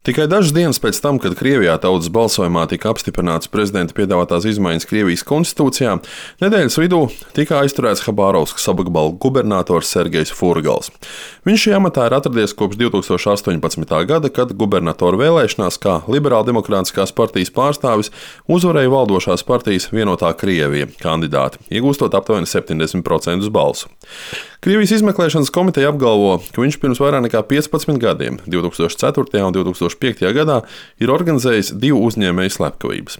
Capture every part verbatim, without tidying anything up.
Tikai dažas dienas pēc tam, kad Krievijā tautas balsojumā tika apstiprināts prezidenta piedāvātās izmaiņas Krievijas konstitūcijā, nedēļas vidū tika aizturēts Habarovskas apgabala gubernators Sergejs Furgals. Viņš šajā amatā ir atradies kopš divi tūkstoši astoņpadsmitā gada, kad gubernatora vēlēšanās kā Liberāldemokrātiskās partijas pārstāvis uzvarēja valdošās partijas Vienotā Krievija kandidāti, iegūstot aptuveni septiņdesmit procentus balsu. Krievijas izmeklēšanas komiteja apgalvo, ka viņš pirms vairāk nekā piecpadsmit gadiem, divi tūkstoši ceturtajā un divi tūkstoši piektajā gadā, ir organizējis divu uzņēmēju slepkavības.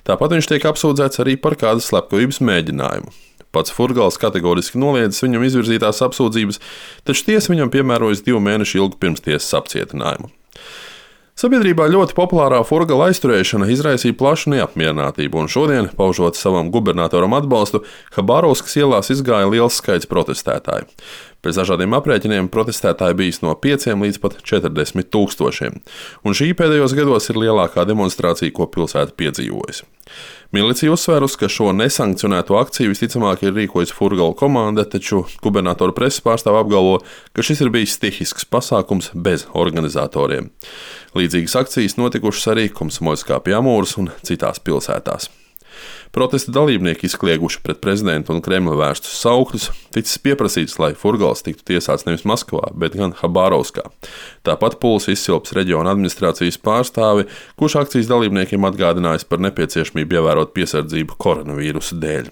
Tāpat viņš tiek apsūdzēts arī par kādas slepkavības mēģinājumu. Pats Furgals kategoriski noliedzis viņam izvirzītās apsūdzības, taču tiesa viņam piemērojas divu mēnešu ilgu pirmstiesas apcietinājumu. Sabiedrībā ļoti populārā Furgala aizturēšana izraisīja plašu neapmierinātību, un šodien, paužot savam gubernatoram atbalstu, Habarovskas ielās izgāja liels skaits protestētāju. Pēc dažādiem aprēķiniem protestētāji bijis no pieciem līdz pat četrdesmit tūkstošiem, un šī pēdējos gados ir lielākā demonstrācija, ko pilsēta piedzīvojusi. Milicija uzsvērus, ka šo nesankcionēto akciju visticamāk ir rīkojusi Furgala komanda, taču gubernatora preses pārstāve apgalvo, ka šis ir bijis stihisks pasākums bez organizatoriem. Līdzīgas akcijas notikušas arī Komsomolskā pie Amūras un citās pilsētās. Protesta dalībnieki izklieguši pret prezidentu un Kremļa vērstus saukļus, ticis pieprasīts, lai Furgals tiktu tiesāts nevis Maskavā, bet gan Habarovskā. Tāpat pulsu izsilps reģiona administrācijas pārstāvi, kurš akcijas dalībniekiem atgādinājis par nepieciešamību ievērot piesardzību koronavīrusa dēļ.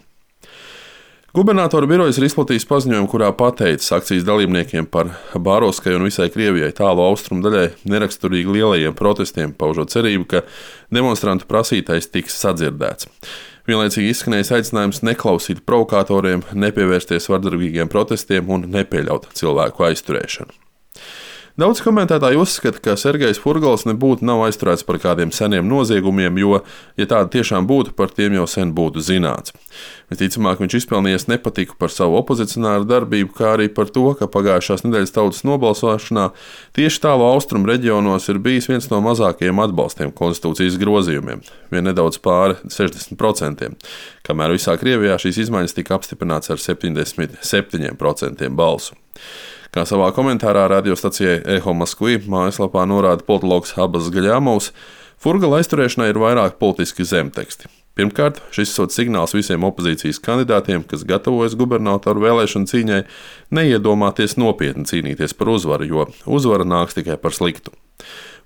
Gubernatora birojas ir izplatījis paziņojumu, kurā pateicis akcijas dalībniekiem par Habarovskai un visai Krievijai tālu austrumu daļai neraksturīgi lielajiem protestiem, paužot cerību, ka demonstrantu prasītais tiks sadzirdēts. Vienlaicīgi izskanējis aicinājums neklausīt provokatoriem, nepievērsties vardarbīgiem protestiem un nepieļaut cilvēku aizturēšanu. Daudz komentētāji uzskata, ka Sergejs Furgals nebūtu nav aizturēts par kādiem seniem noziegumiem, jo, ja tādi tiešām būtu, par tiem jau sen būtu zināts. Visticamāk, viņš izpelnījies nepatiku par savu opozicionāru darbību, kā arī par to, ka pagājušās nedēļas tautas nobalsošanā tieši tālu austrumu reģionos ir bijis viens no mazākajiem atbalstiem konstitūcijas grozījumiem, vien nedaudz pāri sešdesmit procentiem, kamēr visā Krievijā šīs izmaiņas tika apstiprināts ar septiņdesmit septiņiem procentiem balsu. Kā savā komentārā radiostacijai Eho Moskvi mājaslapā norāda politologs Abas Gaļāmovs, Furgala aizturēšanai ir vairāk politiski zemteksti. Pirmkārt, šis ir signāls visiem opozīcijas kandidātiem, kas gatavojas gubernatoru vēlēšanu cīņai, neiedomāties nopietni cīnīties par uzvaru, jo uzvara nāks tikai par sliktu.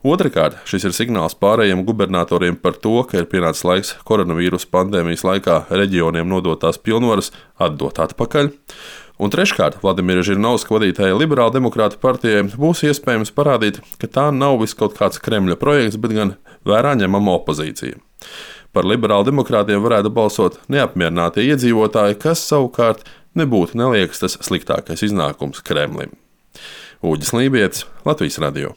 Otrakārt, šis ir signāls pārējiem gubernatoriem par to, ka ir pienācis laiks koronavīrusa pandēmijas laikā reģioniem nodotās pilnvaras atdot atpakaļ. Un treškārt, Vladimira Žirinovska vadītājai Liberāldemokrātu partijai būs iespējams parādīt, ka tā nav vis kaut kāds Kremļa projekts, bet gan vērā ņemama opozīcija. Par liberāldemokrātiem varētu balsot neapmierinātie iedzīvotāji, kas savukārt nebūtu neliekas tas sliktākais iznākums Kremlim. Uģis Lībietis, Latvijas radio.